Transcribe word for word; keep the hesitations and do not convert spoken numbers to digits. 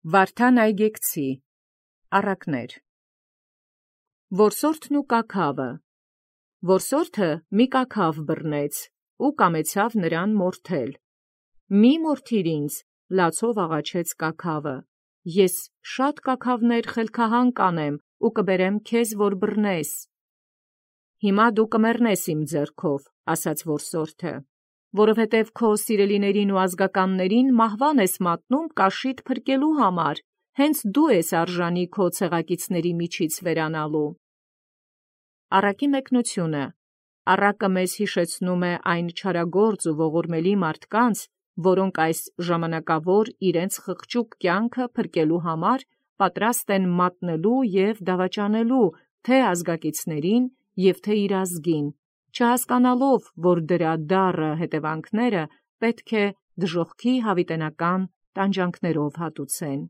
Վարդան Այգեկցի առակներ։ Որսորդն ու կաքավը։ Որսորդը մի կաքավ բռնեց, ու կամեցավ նրան մորթել։ Մի մորթիր ինձ, լացով աղաչեց կաքավը. ես շատ կաքավներ խելքահան կանեմ, ու կբերեմ քեզ, որ բռնես։ Հիմա դու կմեռնես իմ ձեռքով, ասաց որսորդը, որովհետև քո սիրելիներին ու ազգականներին մահվան ես մատնում կաշիդ փրկելու համար, հենց դու ես արժանի քո ցեղակիցների միջից վերանալու։ Առակի մեկնությունը։ Առակը մեզ հիշեցնում է այն չարագործ ու ողորմելի մարդկանց, որոնք այս ժամանակավոր իրենց խղճուկ կյանքը փրկելու համար պատրաստ են մատնելու և դավաճանելու թե ազգակիցներին և թե իր ազգին, չհասկանալով, որ դրա դառը հետևանքները պետք է դժոխքի հավիտենական տանջանքներով հատուցեն։